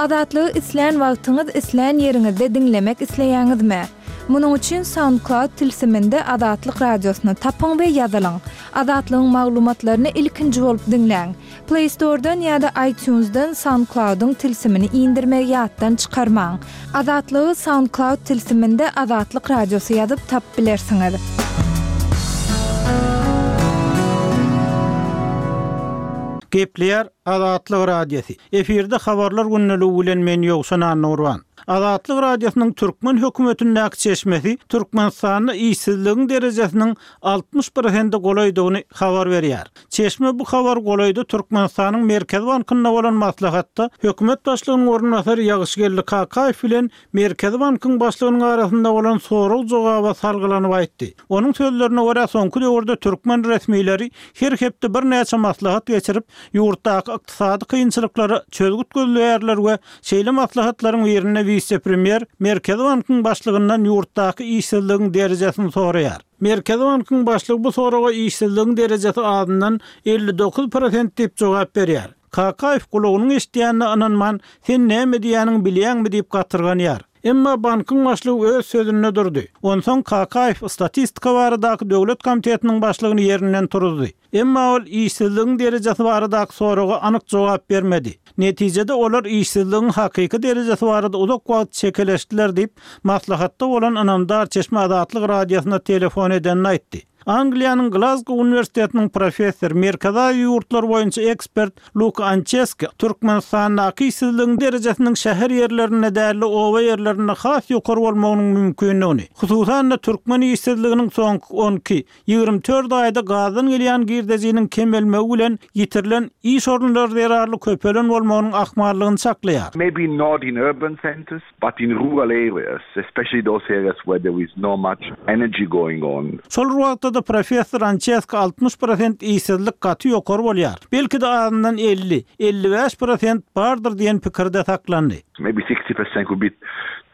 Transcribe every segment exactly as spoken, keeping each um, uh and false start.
Azatlygy islän wagtyňyz, islän ýeriňizde diňlemek isleýäňizmi? Munuň üçin SoundCloud tilsiminde Azatlyk radiosyny tapyň we ýazylyň. Azatlygyň maglumatlaryny ilkinji bolup diňläň. Play Store'dan ýa-da iTunes'dan SoundCloud'yň tilsimini indirmegi ýatdan çykarmaň. Azatlygy SoundCloud tilsiminde Azatlyk radiosy ýazyp tapyp bilersiňiz. Gepleýär Azatlyk Radiosy. Efirde habarlar gündeligi bilen men Ýowşan Annurban. Azatlyk Radiosynyň türkmen hökümetindäki çeşmesi Türkmenistanda işsizligiň derejesiniň altmyş prosente golaýdygyny habar berýär. Çeşme bu habar golaýda Türkmenistanyň Merkezi bankynda bolan maslahatda hökümet başlygynyň orunbasary Ýagyşgeldi Kakaýew bilen Merkezi bankyň başlygynyň arasynda bolan sorag-jogaba salgylanyp aýtdy. Onuň sözlerine görä, soňky döwürde türkmen resmileri her hepde birnäçe maslahat geçirip, ýurtdaky ykdysady kynçylyklara çözgüt gözleýärler we şeýle maslahatlaryň birinde wise-premýer Merkezi bankyň başlygyndan ýurtdaky işsizligiň derejesini soraýar. Merkezi bankyň başlygy bu soraga işsizligiň derejesi azyndan elli dokuz prosent diýip jogap berýär. Kakaýew gulagynyň eşidýänine ynanman, sen näme diýýäniňi bilýäňmi diýip gatyrganýar. Emma bankyň başlygy öz sözünde durdy. Onsoň Kakaýew statistika baradaky döwlet komitetiniň başlygyny ýerinden turuzdy. Emma ol işsizligiň derejesi baradaky soraga anyk jogap bermedi. Netijede olar işsizligiň hakyky derejesi barada uzak wagt çekeleşdiler diýip, maslahatda bolan ynamdar çeşme Azatlyk Radiosyna telefon edenini aýtdy. Angliýanyň Glazgo uniwersitetiniň professory, Merkezi Aziýa ýurtlary boýunça ekspert Luka Ançeski Türkmenistandaky işsizligiň derejesiniň şäher ýerlerinde däl-de oba ýerlerinde has ýokary bolmagynyň mümkindigini, hususan-da türkmen işsizliginiň soňky on iki, ýigrimi dört aýda gazdan gelýän girdejiniň kemelmegi bilen ýitirilen iş orunlary zerarly köpelen bolmagynyň ahmallygyny çaklaýar. Maybe not in urban centers, but in rural areas, especially those areas where there is not much energy going on. Şol bir wagtda-da professor Ançeski altmyş prosent işsizlik gaty ýokary bolýar. Belki-de azyndan elli, elli bäş prosent bardyr diýen pikirde saklandy. Maybe sixty percent could be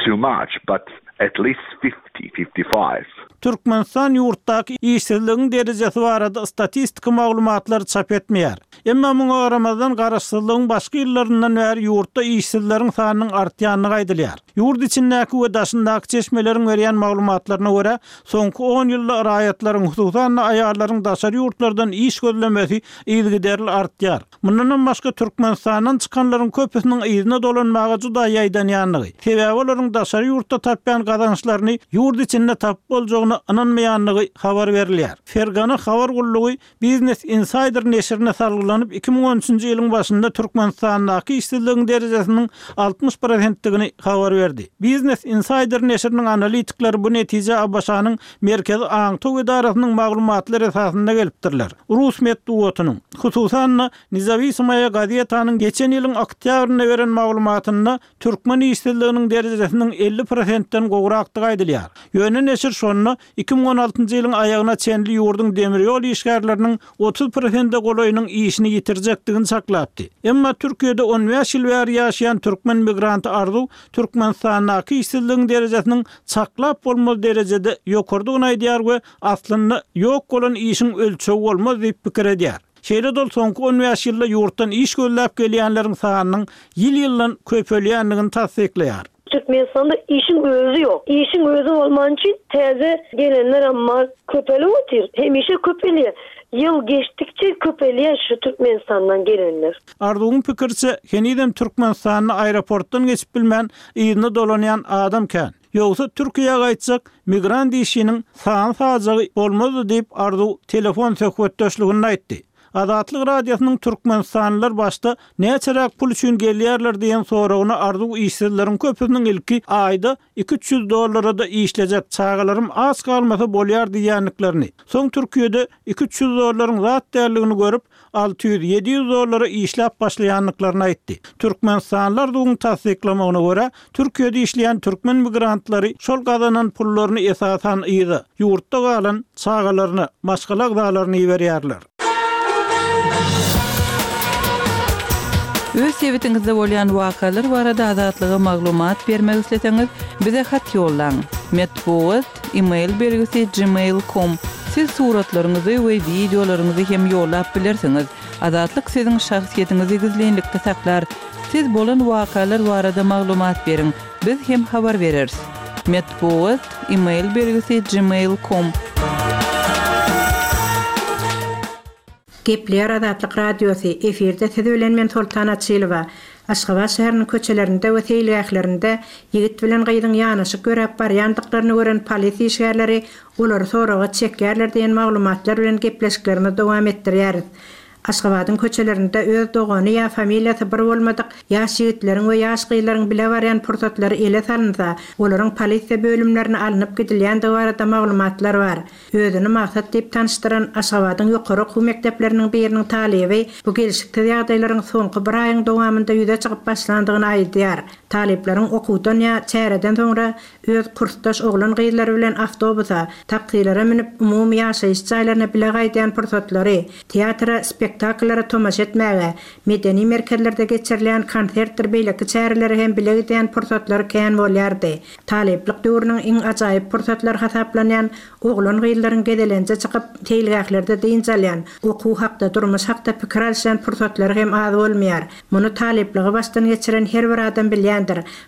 too much, but at least fifty, fifty five. Türkmenistan ýurtdaky işsizligiň derejesi barada statistiki maglumatlary çap etmeýär. Emma muňa garamazdan garaşsyzlygyň başky ýyllaryndan bäri ýurtda işsizleriň sanynyň artýandygy aýdylýar. Ýurt içindäki we daşyndaky çeşmeleriň berýän maglumatlaryna görä, soňky on ýylda raýatlaryň, hususan-da aýallaryň daşary ýurtlardan iş gözlemesi yzygiderli artýar. Mundanam başga Türkmenistandan çykanlaryň köpüsiniň yzyna dolanmaga juda ýaýdanýandygy, sebäbi olaryň daşary ýurtda tapýan gazançlaryny ýurt içinde tapyp boljagyna ynanmaýandygy habar berilýär. Fergana habar gullugy Business Insider neşirine salgylanyp iki müň on üçünji ýylyň başynda Türkmenistandaky işsizligiň derejesiniň altmyş prosentdigini habar berdi. Business Insider neşiriniň analitikleri bu netije A B Ş-nyň Merkezi aňtaw edarasynyň maglumatlary esasynda gelipdirler. Rus metbugatynyň, hususan-da Nezavisimaya gazetanyň geçen ýylyň oktýabrynda beren maglumatynda türkmen işsizliginiň derejesiniň elli prosentden gowrakdygy aýdylýar. Ýöne neşir şonda iki müň on altynjy ýylyň aýagyna çenli ýurduň demir ýol işgärleriniň otuz prosente golaýynyň işini ýitirjekdigini saklapdy. Emma Türkiýede on bäş ýyl bäri ýaşaýan türkmen migranty Arzuw Türkmenistandaky işsizligiň derejesiniň çaklap bolmaz derejede ýokardygyny aýdýar we aslynda ýok bolan işiň ölçegi bolmaz diýip pikir edýär. Şeýle dol soňky on bäş ýylda ýurtdan iş gözläp gelýänleriň sanynyň ýyl-ýyldan köpelýändigini tassyklaýar. Türkmenistanda işiň özi ýok. Işiň özi bolman üçin täze gelenler amma köpelip otyr. Hemişe köpelýär. Ýyl geçdikçe köpelýär şu Türkmenistandan gelenler. Arzuwyň pikirçe, henizem Türkmenistanda aeroportdan geçip bilmän yzyna dolanýan adam kän. Ýogsa Türkiýä gaýtjak migrant işiniň sany sajagy bolmazdy diýip Arzuw telefon söhbetdeşliginde aýtdy. Azatlyk Radiosynyň Türkmenistanlylar başda näçeräk pul üçin gelýärler diýen soragyna Arzuw işsizleriň köpüsiniň ilki aýda iki üç ýüz dollara da işlejek çagalarym aç galmasa bolýar diýýändiklerini, soň Türkiýede iki üç ýüz dollaryň zat däldigini görüp alty ýüz, ýedi ýüz dollara işläp başlaýandyklaryny aýtdy. Türkmenistanlylar Arzuwyň tassyklamagyna görä, Türkiýede işleýän türkmen migrantlary şol gazanan pullaryny esasan yza, ýurtda galan çagalaryna, maşgala agzalaryny iberýärler. Öz sebitiňizde bolýan wakalar barada Azatlyga maglumat bermek isleseňiz, bize hat ýollaň. Metbugat, e-mail belgisi gmail nokta com. Siz suratlaryňyzy we videolaryňyzy hem ýollap bilersiňiz. Azatlyk siziň şahsyýetiňizi gizlinlikde saklar. Siz bolan wakalar barada maglumat beriň. Biz hem habar bereris. Metbugat e-mail belgisi gmail.com Gepleýär Azatlyk Radiosy, efirde siz bilen men Soltan Açylowa. Aşgabat şäheriniň köçelerinde we seýilgählerinde ýigit bilen gyzyň ýanaşyk ýöräp barýandyklaryny gören polisiýa işgärleri olary soraga çekýärler diýen maglumatlar bilen gepleşiklerimizi dowam etdirýäris. Aşgabadyň köçelerinde öz dogany ýa familiýasy bir bolmadyk ýaş ýigitleriň we ýaş gyzlaryň bile barýan pursatlary ele salynsa, olaryň polisiýa bölümlerine alnyp gidilýändigi barada maglumatlar bar. Özüni Maksat diýip tanyşdyran Aşgabadyň ýokary okuw mekdepleriniň biriniň talyby bu gelşiksiz ýagdaýlaryň soňky bir aýyň dowamynda ýüze çykyp başlandygyny aýdýar. Talyplaryň okuwdan ýa çäreden soňra öz kursdaş oglan gyzlary bilen awtobusa, taksilere münüp umumy ýaşaýyş jaýlaryna bile gaýdýan pursatlary, teatra, spektakllara tomaşa etmäge, medeni merkezlerde geçirilýän konsertdir beýleki çärelere hem bile gidýän pursatlary kän bolýardy. Talyplyk döwrüniň iň ajaýyp pursatlary hasaplanýan oglan gyzlaryň gezelenje çykyp seýilgählerde dynç alýan, okuw hakda, durmuş hakda pikir alyşýan pursatlary hem az bolmaýar. Muny talyplygy başdan geçiren her bir adam bilýändir.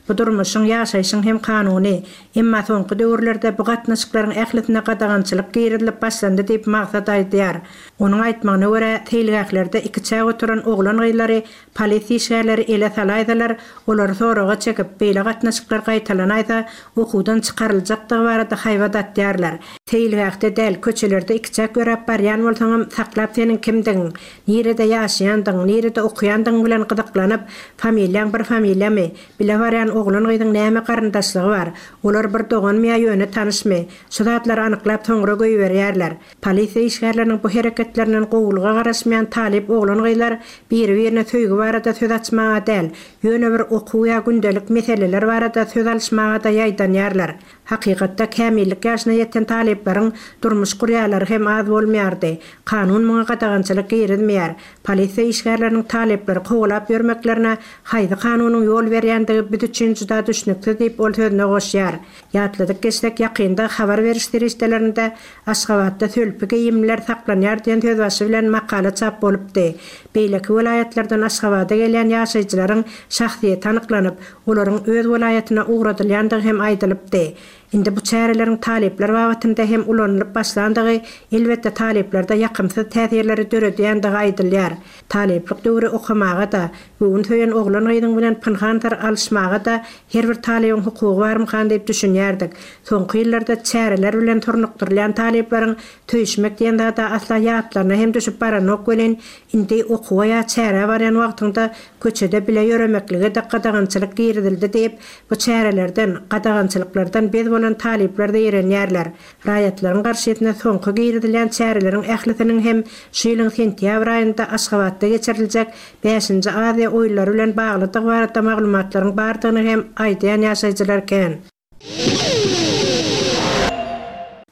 Bu durmuşyň, ýaşaýşyň hem kanuny. Emma soňky döwürlerde bu gatnaşyklaryň ählisine gadagançylyk girizilip başlandy diýip Maksat aýdýar. Onuň aýtmagyna görä, seýilgählerde ikiçäk oturan oglan gyzlary polisiýa işgärleri ele salaýsalar, olary soraga çekip, beýle gatnaşyklar gaýtalanaýsa, okuwdan çykaryljakdygy barada haýbat atýarlar. Seýilgähde däl, köçelerde ikiçäk ýöräp barýan bolsaňam, saklap seniň kimdigiň, nirede ýaşaýandygyň, nirede okuýandygyň bilen gyzyklanyp, familiýaň bir familiýamy, bile barýan oglan gyzyň näme garyndaşlygy bar, olar bir doganmy ýa ýöne tanyşmy, şu zatlary anyklap soňra goýberýärler. Polisiýa işgärleriniň bu hereketlerinden gowulyga garaşmaýan talyp oglan gyzlar biri-birine söýgi barada söz açmaga däl, ýöne bir okuw ýa gündelik meseleler barada söz alyşmaga da ýaýdanýarlar. Hakykatda kämillik ýaşyna ýeten talyplaryň durmuş gurýalary hem az bolmaýardy. Kanun muňa gadagançylyk girizmeýär. Polisiýa işgärleriniň talyplary kowalap ýörmeklerine haýsy kanunyň ýol berýändigi biz üçin juda düşnüksiz diýip ol sözüne goşýar. Ýatladyk geçsek ýakynda habar beriş serişdelerinde Aşgabatda sölpi geýimler saklanýar diýen sözbaşy bilen makala çap bolupdy. Beýleki welaýatlardan Aşgabada gelýän ýaşaýjylaryň şahsyýeti anyklanyp, olaryň öz welaýatyna ugradylýandygy hem aýdylypdy. Indi bu çäreleriň talyplar babatynda hem ulanylyp başlandygy elbetde talyplarda ýakymsyz täsirleri döredýändigi aýdylýar. Talyplyk döwri okamaga da, göwün söýen oglan gyzyň bilen pynhan syr alyşmaga da her bir talybyň hukugy barmykan diýip düşünýärdik. Soňky ýyllarda çäreler bilen turnukdyrylýan talyplaryň söýüşmek diýen zada asla ýatlaryna hem düşüp baranok welin, indi okuwa ýa çärä barýan wagtyňda köçede bile ýöremeklige de gadagançylyk girizildi diýip, bu çärelerden, gadagançylyklardan bez bolan talyplar zeýrenýärler. Raýatlaryň garşysyna soňky girizilýän çäreleriň ählisiniň hem şu ýylyň sentýabr aýynda Aşgabatda geçiriljek bäşinji Aziýa oýunlary bilen baglydygy barada maglumatlaryň bardygyny hem aýdýan ýaşaýjylar kän.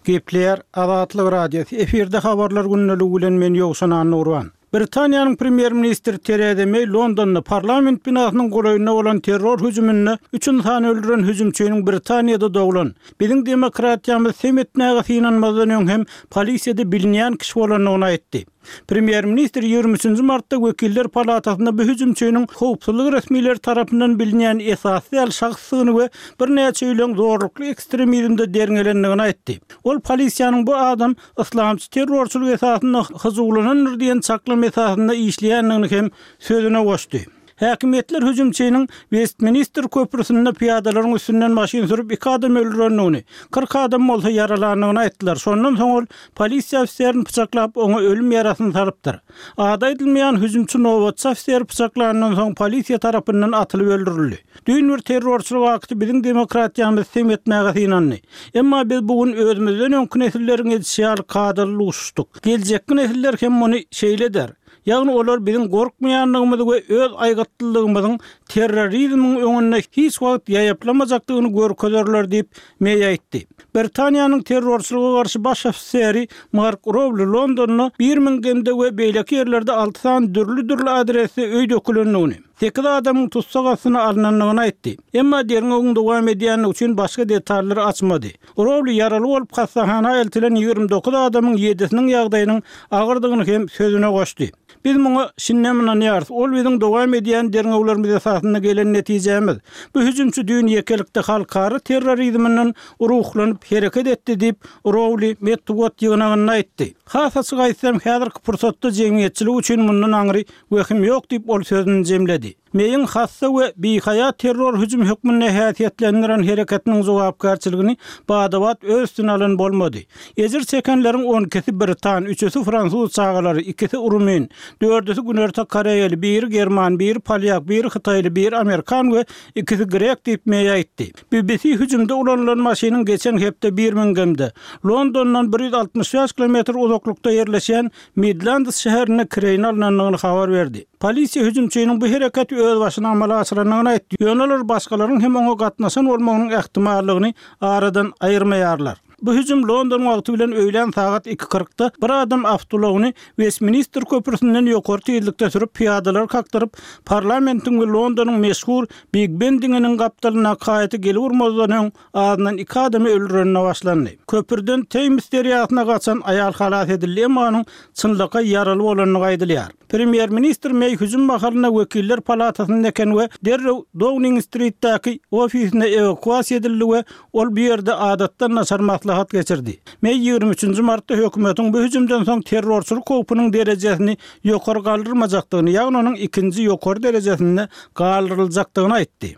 Gepleýär Azatlyk Radiosy. Efirde habarlar gündeligi bilen men Ýowşan Annurban. Britaniýanyň premýer-ministri Theresa May Londonda parlament binasynyň golaýynda bolan terror hüjüminde üç insan öldüren hüjümçiniň Britaniýada doglan. Biziň demokratiýamyz sem etmäge synanmazdan öň hem polisiýada bilinýän kişi bolandygyny aýtdy. Premýer-ministr ýigrimi üçünji martda Wekiller palatasynda bu hüjümçiniň howpsuzlyk resmileri tarapyndan bilinýän esasy däl şahsdygyny we birnäçe ýylyň zorlukly ekstremizmde derňelendigini aýtdy. Ol polisiýanyň bu adam islamçy terrorçylyk esasynda hyjuwlanandyr diýen çaklama esasynda işleýändigini hem sözüne goşdy. Häkimiýetler hüjümçiniň Westminster köprüsinde piyadalaryň üstünden maşyn sürüp iki adam öldürendigini, kyrk adam bolsa ýaralandygyny aýtdylar. Şondan soň ol polisiýa ofiserini pyçaklap oňa ölüm ýarasyny salypdyr. Ady aýdylmaýan hüjümçi nobatçy ofiseri pyçaklandan soň polisiýa tarapyndan atylyp öldürildi. Düýn bir terrorçylyk akty biziň demokratiýamyzy sem etmäge synandy. Emma biz bugün özümizden öňki nesilleriň edişi ýaly kadaly duşuşdyk. Geljekki nesiller hem muny şeýle der. Ýagny olar biziň gorkmaýanlygymyzy we öz aýgytlylygymyzyň terrorizmiň öňünde hiç wagt ýaýaplamajakdygyny görkezerler diýip May aýtdy. Britaniýanyň terrorçylyga garşy baş ofiseri Mark Rowley Londonda Birminghamda we beýleki ýerlerde alty sany dürli-dürli adresde öý dökülendigini, Sekiz adamyň tussag astyna alynandygyny aýtdy. Emma derňewiň dowam edýändigi üçin başga detallary açmady. Rowli ýaraly bolup hassahana eltilen ýigrimi dokuz adamyň ýedisiniň ýagdaýynyň agyrdygyny hem sözüne goşdy. Biz muňa şindem ynanýarys. Ol biziň dowam edýän derňewlerimiz esasynda gelen netijemiz. Bu hüjümçi düýn ýekelikde halkara terrorizminden ruhlanyp hereket etdi diýip, Rowli metbugat ýygnagynda aýtdy. Has açyk aýtsam, häzirki pursatda jemgyýetçilik üçin mundan aňry wehim ýok diýip, ol sözüni jemledi. Meýiň hassa we bihaýa terror hüjüm hökmünde häsiýetlendiren hereketiniň jogapkärçiligini bada-bat öz üstüne alan bolmady. Ejir çekenleriň on ikisi britan, üçüsi fransuz çagalary, ikisi rumyn, dördüsi Günorta Koreýaly, biri german, biri polýak, biri hytaýly, biri amerikan we ikisi grek diýip Meý aýtdy. B B C hüjümde ulanylan maşynyň geçen hepde Birminghamda, Londondan bir ýüz altmyş bäş kilometr uzaklykda ýerleşýän Midlands şäherinde kireýine alynandygyny habar berdi. Polisiýa hüjümçiniň bu hereketi öz başyna amala aşyrandygyny aýtdy. Ýöne olar başgalaryň hem oňa gatnaşan bolmagynyň ähtimallygyny aradan aýyrmaýarlar. Bu hüjüm London wagty bilen öýlän sagat iki kyrkda bir adam awtoulagyny Westminster köprüsinden ýokary tizlikde sürüp pyýadalar kakdyryp, parlamentiň we Londonyň meşhur Big Ben diňiniň gapdalyndaky haýaty gelip urmazdan öň azyndan iki adamy öldürenine başlandy. Köprüden Thames derýasyna gaçan aýal halas edildi, emma onuň çynlakaý ýaraly bolandygy aýdylýar. Premýer-ministr Meý hüjüm mahalynda wekiller palatasynda eken we derrew Downing Streetdäki ofisine ewakuasiýa edildi we ol bu ýerde adatdan daşary maslahat geçirdi. Meý ýigrimi üçünji martda hökümetiň bu hüjümden soň terrorçylyk howpunyň derejesini ýokary galdyrmajakdygyny, ýagny onuň ikinji ýokary derejesinde galdyryljakdygyny aýtdy.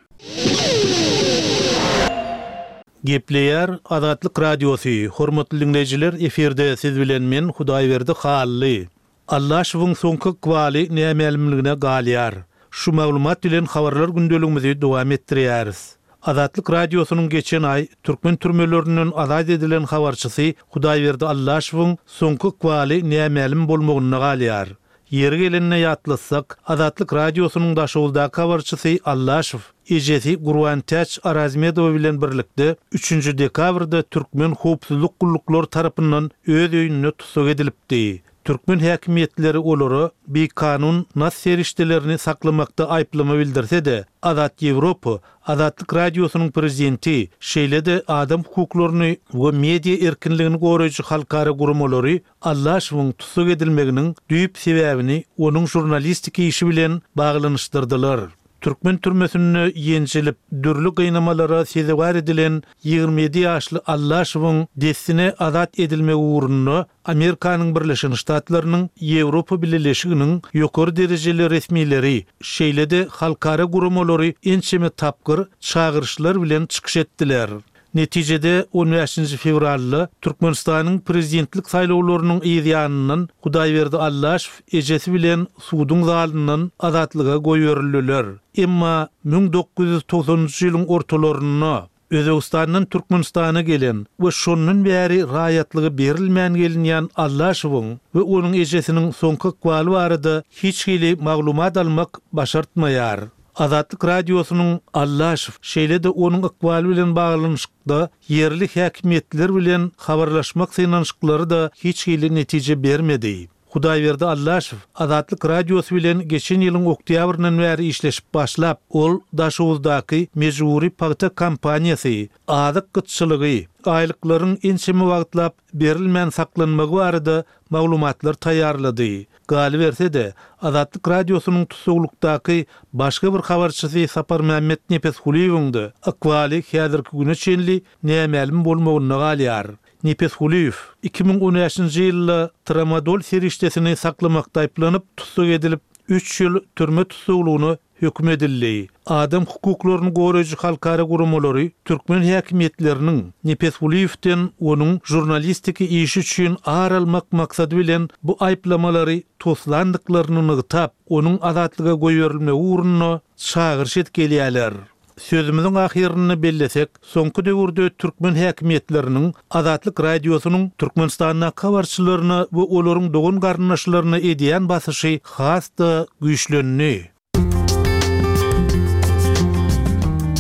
Gepleýär Azatlyk Radiosy, hormatly dinleýjiler, efirde siz bilen men Hudaýberdi Hally. Allaşowyň soňky ykbaly nämälimligine galýar. Şu maglumat bilen habarlar gündeligimizi dowam etdirýäris. Azatlyk Radiosynyň geçen aý türkmen türmelerinden azat edilen habarçysy Hudaýberdi Allaşowyň soňky ykbaly nämälim bolmagynda galýar. Ýeri gelenine ýatlatsak, Azatlyk Radiosynyň Daşoguzdaky habarçysy Allaşow ejesi Gurbantäç Arazmedowa bilen birlikde üçünji dekabrda türkmen howpsuzlyk gulluklary tarapyndan öz öýünde tussag edilipdi. Türkmen häkimiýetleri olara bikanun nas serişdelerini saklamakda aýyplama bildirse-de, Azat Ýewropa, Azatlyk Radiosynyň prezidenti, şeýle-de adam hukuklaryny we media erkinligini goraýjy halkara guramalary Allaşowyň tussag edilmeginiň düýp sebäbini onuň žurnalistik işi bilen baglanyşdyrdylar. Türkmen türmesinde ýenjilip, dürli gynamalara sezewar edilen ýigrimi ýedi ýaşly Allaşowyň dessine azat edilmegi ugrunda Amerikanyň Birleşen Ştatlarynyň, Ýewropa Bileleşiginiň ýokary derejeli resmileri, şeýle-de halkara guramalary ençeme tapgyr çagyryşlar bilen çykyş etdiler. Netijede on bäşinji fewralda Türkmenistanyň prezidentlik saýlawlarynyň yz ýanyndan Hudaýberdi Allaşow ejesi bilen suduň zalyndan azatlyga goýberildiler. Emma müň dokuz ýüz togsanynjy ýylyň ortalarynda Özbegistandan Türkmenistana gelen we şondan bäri raýatlygy berilmän gelinýän Allaşowyň we onuň ejesiniň soňky ykbaly barada hiç hili maglumat almak başartmaýar. Azatlyk Radiosynyň Allaşow şeýle-de onuň ykbaly bilen baglanyşykda ýerli häkimiýetler bilen habarlaşmak synanyşyklary da hiç hili netije bermedi. Hudaýberdi Allaşow Azatlyk Radiosy bilen geçen ýylyň oktýabryndan bäri işleşip başlap, ol Daşoguzdaky mejbury pagta kompaniýasy, azyk gytçylygy, aýlyklaryň ençeme wagtlap berilmän saklanmagy barada maglumatlar taýýarlady. Galyberse-de, Azatlyk Radiosynyň tussaglykdaky başga bir habarçysy Saparmämmet Nepesgulyýewiň-de ykbaly häzirki güne çenli nämälim bolmagynda galýar. Nepesgulyýew iki müň on bäşinji ýylda tramadol serişdesini saklamakda aýyplanyp, tussag edilip, üç ýyl türme tussaglygyna höküm edildi. Adam hukuklaryny goraýjy halkara guramalary türkmen häkimiýetleriniň Nepesgulyýewden onuň žurnalistiki işi üçin ar almak maksady bilen bu aýyplamalary toslandyklaryny nygtap, onuň azatlyga goýberilmegi ugrunda çagyryş edip gelýärler. Sözümiziň ahyrynda bellesek, soňky döwürde türkmen häkimiýetleriniň Azatlyk Radiosynyň Türkmenistandaky habarçylaryna we olaryň dogan garyndaşlaryna edýän basyşy has-da güýçlendi.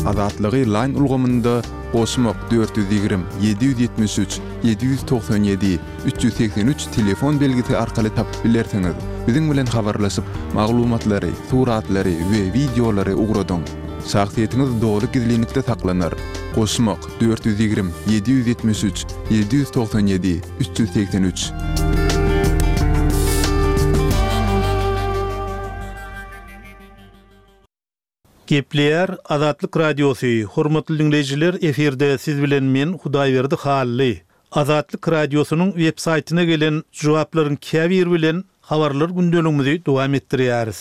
Azatlygy Line ulgamynda goşmak dört ýüz ýigrimi, ýedi ýüz ýetmiş üç, ýedi ýüz togsan ýedi, üç ýüz segsen üç telefon belgisi arkaly tapyp bilersiňiz. Biziň bilen habarlaşyp, maglumatlary, suratlary we wideolary ugradyň. Şahsyýetiňiz doly gizlinlikde saklanar. Goşmak, dört ýüz ýigrimi, ýedi ýüz ýetmiş üç, ýedi ýüz togsan ýedi, üç ýüz segsen üç. Gepleýär Azatlyk Radiosy, Hormatly diňleýjiler, efirde siz bilen men Hudaýberdi Hally. Azatlyk Radiosynyň web saýtyna gelen jogaplaryň käbiri bilen habarlar gündeligimizi dowam etdirýäris.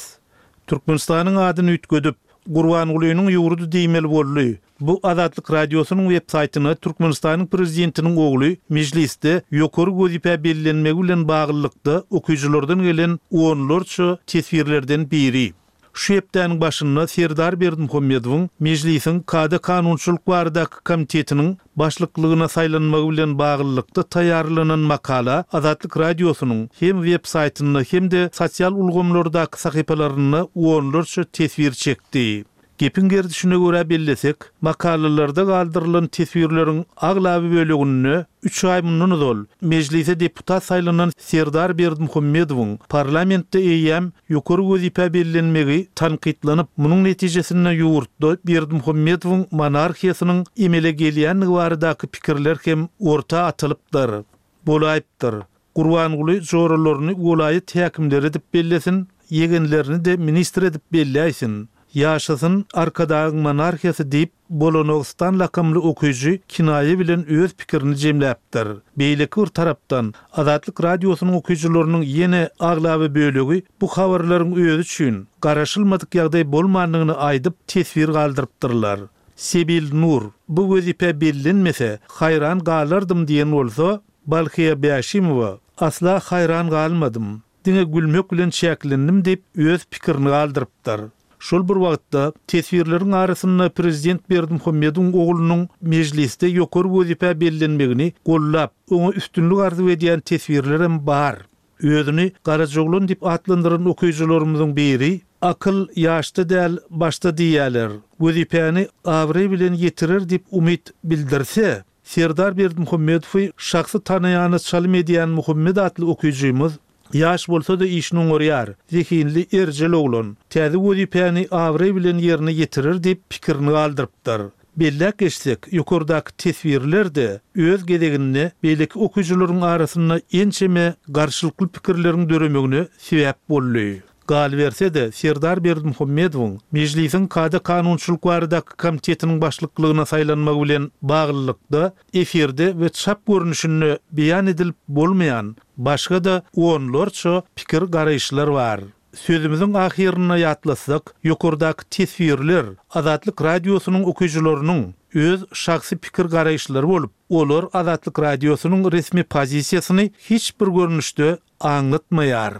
Türkmenistanyň adyny üýtgedip, Gurbangulynyň ýurdy diýmeli boldy. Bu Azatlyk Radiosynyň web saýtyna Türkmenistanyň prezidentiniň ogly mejlisde ýokary wezipä bellenmegi bilen baglylykda okyjylardan gelen onlarça teswirlerden biri. Şu hepdäniň başynda Serdar Berdimuhamedowyň Mejlisiň Kada-kanunçylyk baradaky komitetiniň başlyklygyna saýlanmagy bilen baglylykda taýýarlanan makala Azatlyk Radiosynyň hem web saýtynda hem-de sosial ulgamlardaky sahypalarynda onlarça teswir çekdi. Gepiň gerdişine görä bellesek, makalalarda galdyrylan teswirleriň aglaba böleginde üç aý mundan ozal Mejlise deputat saýlanan Serdar Berdimuhamedowyň parlamentde eýýäm ýokary wezipä bellenmegi tankytlanyp, munuň netijesinde ýurtda Berdimuhamedowyň monarhiýasynyň emele gelýändigi baradaky pikirler hem orta atylypdyr. Bolaýypdyr. Gurbanguly joralaryny welaýat häkimleri edip bellesin, ýegenlerini-de ministr edip belläýsin. Ýaşasyn Arkadagyň monarhiýasy diýip, Bolonowstan lakamly okyjy kinaýa bilen öz pikirini jemläpdir. Beýleki bir tarapdan, Azatlyk Radiosynyň okyjylarynyň ýene aglaba bölegi bu habarlaryň özi üçin garaşylmadyk ýagdaý bolmandygyny aýdyp, teswir galdyrypdyrlar. Sebil Nur, Bu wezipe bellenmese, haýran galardym diýen bolsa, Balhyýa Bäşimowa, Asla haýran galmadym. Diňe gülmek bilen çäklendim diýip, öz pikirini galdyrypdyr. Şol bir wagtda, teswirleriň arasynda prezident Berdimuhamedowyň oglunyň mejlisde ýokary wezipä bellenmegini gollap, oňa üstünlik arzuw edýän teswirlerem bar. Özüni Garajaoglan diýip atlandyran okyjylarymyzyň biri, Akyl ýaşda däl, başda diýýäler. Wezipäni abraý bilen ýetirer diýip umyt bildirse, Serdar Berdimuhamedowy şahsy tanaýana çalym edýän Muhammet atly okyjymyz, Ýaş bolsa-da işini oňarýar, zehinli, erjel oglan. Täze wezipäni abraý bilen ýerine ýetirer diýip pikirini galdyrypdyr. Belläp geçsek, ýokardaky teswirler-de öz gezeginde beýleki okyjylaryň arasynda ençeme garşylykly pikirleriň döremegine sebäp boldy. Galyberse-de, Serdar Berdimuhamedowyň Mejlisiň Kada-kanunçylyk baradaky komitetiniň başlyklygyna saýlanmagy bilen baglylykda efirde we çap görnüşinde beýan edilip bolmaýan başga-da onlarça pikir-garaýyşlar bar. Sözümiziň ahyrynda ýatlatsak, ýokardaky teswirler Azatlyk Radiosynyň okyjylarynyň öz şahsy pikir-garaýyşlary bolup, olar Azatlyk Radiosynyň resmi pozisiýasyny hiç bir görnüşde aňlatmaýar.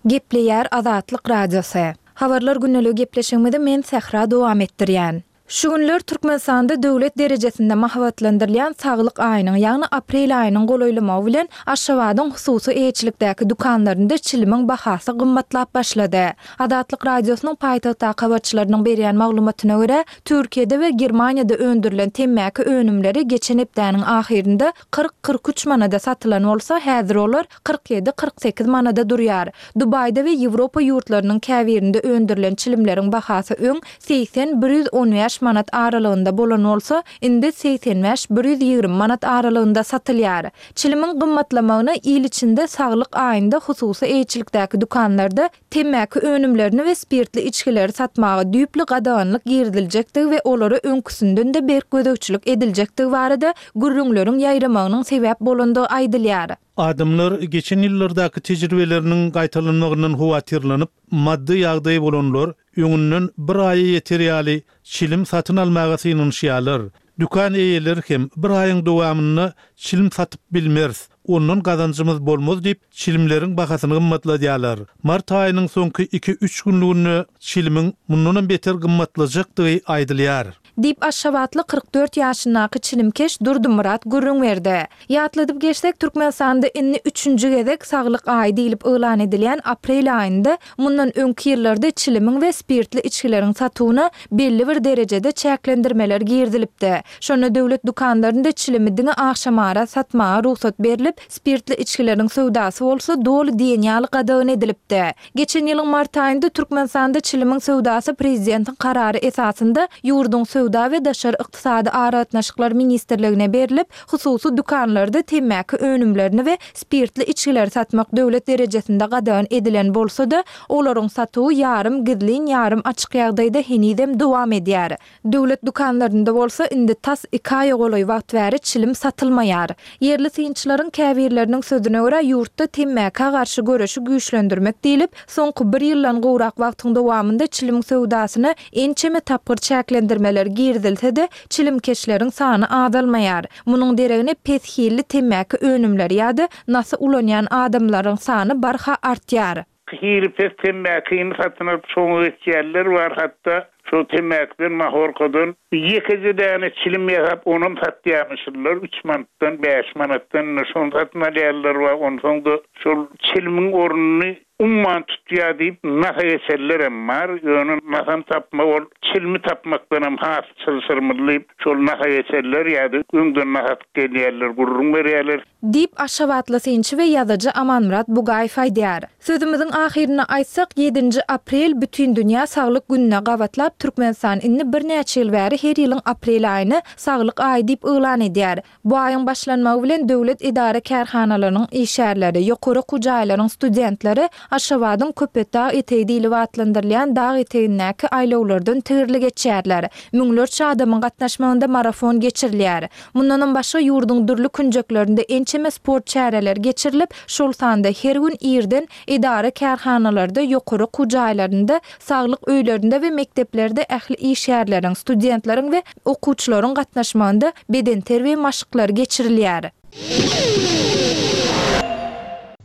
Gepleýär Azatlyk Radiosy. Habarlar gündeligi gepleşigimizi men Sähra dowam etdirýän. Şu günler Türkmenistanda döwlet derejesinde mahabatlandyrylýan Saglyk aýynyň, ýagny aprel aýynyň golaýlamagy bilen Aşgabadyň hususy eýeçilikdäki dükanlarynda çilimiň bahasy gymmatlap başlady. Azatlyk Radiosynyň paýtagtdaky habarçylarynyň berýän maglumatyna görä, Türkiýede we Germaniýada öndürilen temmäki önümleri geçen hepdäniň ahyrynda kyrk-kyrk üç manada satylan bolsa, häzir olar kyrk ýedi-kyrk sekiz manada durýar. Dubaýda we Ýewropa ýurtlarynyň käbirinde öndürilen çilimleriň bahasy öň segsen-bir ýüz on bäş manat aralygynda bolan bolsa, indi segsen bäş-bir ýüz ýigrimi manat aralygynda satylýar. Çilimiň gymmatlamagyna il içinde Saglyk aýynda hususy eýeçilikdäki dükanlarda temmäki önümlerini we spirtli içgileri satmaga düýpli gadaganlyk giriziljekdigi we olara öňküsinden-de berk gözegçilik ediljekdigi barada gürrüňleriň ýaýramagynyň sebäp bolandygy aýdylýar. Adamlar geçen ýyllardaky tejribeleriniň gaýtalanmagyndan howatyrlanyp, maddy ýagdaýy bolanlar öňünden bir aýa ýeter ýaly çilim satyn almaga synanyşýarlar. Dükan eýeleri hem bir aýyň dowamynda çilim satyp bilmeris, ondan gazanjymyz bolmaz diýip, çilimleriň bahasyny gymmatladýarlar. Mart aýynyň soňky iki-üç günlüginde çilimiň mundanam beter gymmatlajakdygy aýdylýar. Diýip, aşgabatly kyrk dört ýaşyndaky çilimkeş Durdymyrat gürrüň berdi. Ýatladyp geçsek, Türkmenistanda indi üçünji gezek Saglyk aýy diýlip yglan edilýän aprel aýynda mundan öňki ýyllarda çilimiň we spirtli içgileriň satuwyna belli bir derejede çäklendirmeler girizilipdi. Şonda döwlet dükanlarynda çilimi diňe agşamara satmaga rugsat berlip, spirtli içgileriň söwdasy bolsa doly diýen ýaly gadagan edilipdi. Geçen ýylyň mart aýynda Türkmenistanda çilimiň söwdasy prezidentiň karary esasynda ýurduň Söwda we daşary ykdysady aragatnaşyklar ministrligine berlip, hususy dükanlarda temmäki önümlerini we spirtli içgileri satmak döwlet derejesinde gadagan edilen bolsa-da, olaryň satuwy ýarym gizlin, ýarym açyk ýagdaýda henizem dowam edýär. Döwlet dükanlarynda bolsa indi tas iki aýa golaý wagt bäri çilim satylmaýar. Ýerli synçylaryň käbirleriniň sözüne görä, ýurtda temmäkä garşy göreşi güýçlendirmek diýlip, soňky bir ýyldan gowrak wagtyň dowamynda çilimiň söwdasyna ençeme tapgyr çäklendirmeler girizilse-de, çilimkeşleriň sany azalmaýar. Munuň deregine pes hilli temmäki önümleri ýa-da nasy ulanýan adamlaryň sany barha artýar. Hili pes temmäkini satyn alyp şoňa geçýänler bar, hatda şol temmäkiden, mahorkadan ýekeje däne çilim ýasap onam satýarmyşlar, üç manatdan, bäş manatdan indi şony satyn alýanlar bar, onsoň-da şol çilimiň ornuny umman tutýar diýip nasa geçenlerem bar, ýöne nasam tapmak ol çilimi tapmakdanam has çylşyrymly diýip şol nasa geçenler ýa-da öňden nas atyp gelýänler gürrüň berýärler. Diýip, aşgabatly synçy we ýazyjy Amanmyrat Bugaýew aýdýar. Sözümiziň ahyrynda aýtsak, ýedinji aprel Bütindünýä saglyk gününe gabatlap, Türkmenistan indi birnäçe ýyl bäri her ýylyň aprel aýyny Saglyk aýy diýip yglan edýär. Bu aýyň başlanmagy bilen döwlet edara-kärhanalarynyň işgärleri, ýokary okuw jaýlaryň studentleri Aşgabadyň Köpetdag etegi diýlip atlandyrylýan dag etegindäki aýlawlardan tigirli geçýärler. Müňlerçe adamyň gatnaşmagynda marafon geçirilýär. Mundanam başga ýurduň dürli künjeklerinde ençeme sport çäreleri geçirilip, şol sanda her gün irden edara-kärhanalarda, ýokary okuw jaýlarynda, saglyk öýlerinde we mekdeplerde ähli işgärleriň, studentleriň we okuwçylaryň gatnaşmagynda bedenterbiýe maşklary geçirilýär.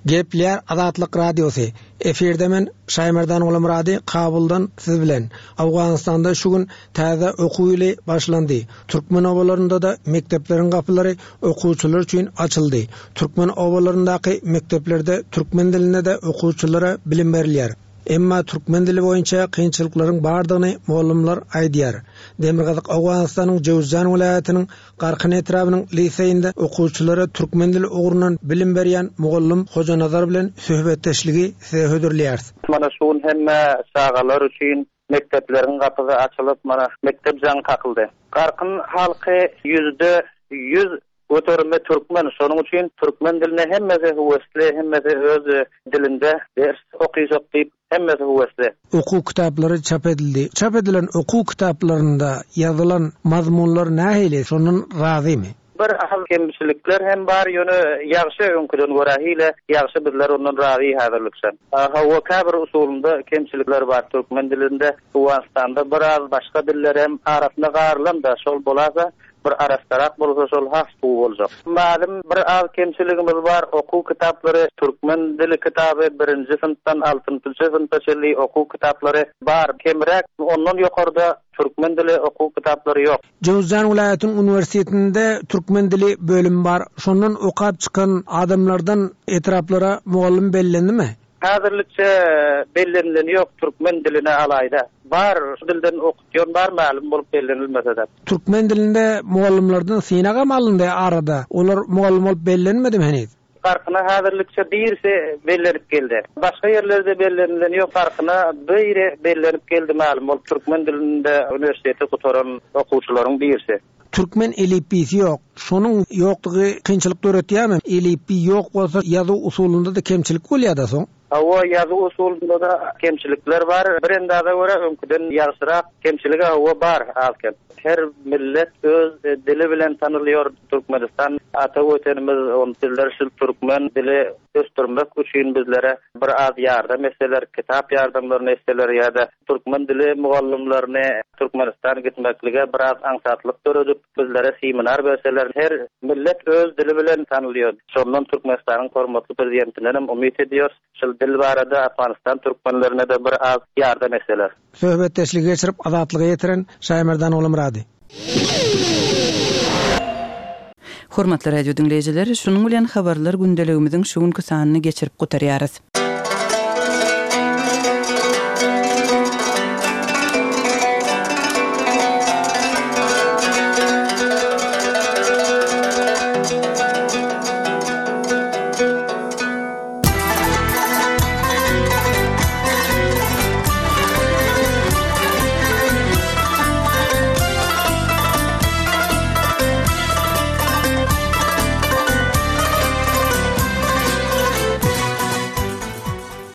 Gepleýär Azatlyk Radiosy. Efirde men Şaýmerdan Gulamyrady Kabuldan siz bilen. Owganystanda şu gün täze okuw ýyly başlandy. Türkmen obalarynda-da mekdepleriň gapylary okuwçylar üçin açyldy. Türkmen obalaryndaky mekdeplerde türkmen dilinde-de okuwçylara bilim berilýär. Emma türkmen dili boýunça kynçylyklaryň bardygyny mugallymlar aýdýar. Demirgazyk Owganystanyň Jöwüzjan welaýatynyň Garkyn etrabynyň liseýinde okuwçylara türkmen dili ugrundan bilim berýän mugallym Hojanazar bilen söhbetdeşligi size hödürleýäris. Mana şu gün hemme çagalar üçin mekdepleriň gapysy açylyp, mana mekdep jaňy kakyldy. Garkyn halky ýüzde ýüz göterimi türkmen, şonuň üçin türkmen diline hemmesi höwesli, hemmesi öz dilinde ders okyjak diýip hemmesi höwesli. Okuw kitaplary çap edildi. Çap edilen okuw kitaplarynda ýazylan mazmunlar nähili, şondan razymy? Bir az kemçilikler hem bar, ýöne ýagşy öňküden görä hile ýagşy bizler ondan razy häzirlikçe. Hawa, käbir usulynda kemçilikler bar türkmen dilinde, Owganystanda biraz başga diller hem arasynda garylan-da şol bolasa bir arassarak bolsa şol has gowy boljak. Mälim bir az kemçiligimiz bar, okuw kitaplary türkmen dili kitaby birinji synpdan altynjy synpa çenli okuw kitaplary bar, kemräk ondan ýokarda türkmen dili okuw kitaplary ýok. Jöwüzjan welaýatynyň uniwersitetinde türkmen dili bölümi bar. Şondan okap çykan adamlardan etraplara mugallym bellendimi? Häzirlikçe bellenileni ýok türkmen diline alaýda. Bar, şu dilden okutýan bar mälim bolup bellenilmese-de. Türkmen dilinde mugallymlardan synagam alyndy arada. Olar mugallym bolup bellenmedimi heniz? Garkyna häzirlikçe birisi bellenip geldi. Başga ýerlerde bellenileni ýok, Garkyna biri bellenip geldi mälim bolup türkmen dilinde uniwersiteti gutaran okuwçylaryň birisi. Türkmen elipbiýsi ýok. Şonuň ýokdugy kynçylyk döretýärmi? Elipbiý ýok bolsa ýazuw usulynda-da kemçilik bolýar-da soň. Hawa, ýazuw usulynda-da kemçilikler bar. Bir endaza görä öňküden ýagşyrak kemçilik hawa bar az-kem. Her millet öz dili bilen tanylýar. Türkmenistan ata Watanymyz, ony bizler şul türkmen dili ösdürmek üçin bizlere bir az ýardam etseler, kitap ýardamlaryny etseler ýa-da türkmen dili mugallymlaryny Türkmenistan gitmeklige biraz aňsatlyk döredip, bizlere seminar berseler, her millet öz dili bilen tanylýar. Şondan Türkmenistanyň hormatly prezidentinden hem umyt edýäris. Şul dil barada Afganistan türkmenlerine-de bir az ýardam etseler. Söhbetdeşligi geçirip Azatlyga ýetiren Şaýmerdan Ogulmyrady. Hormatly radio diňleýjiler, şunuň bilen habarlar gündeligimiziň şu günki sanyny geçirip gutarýarys.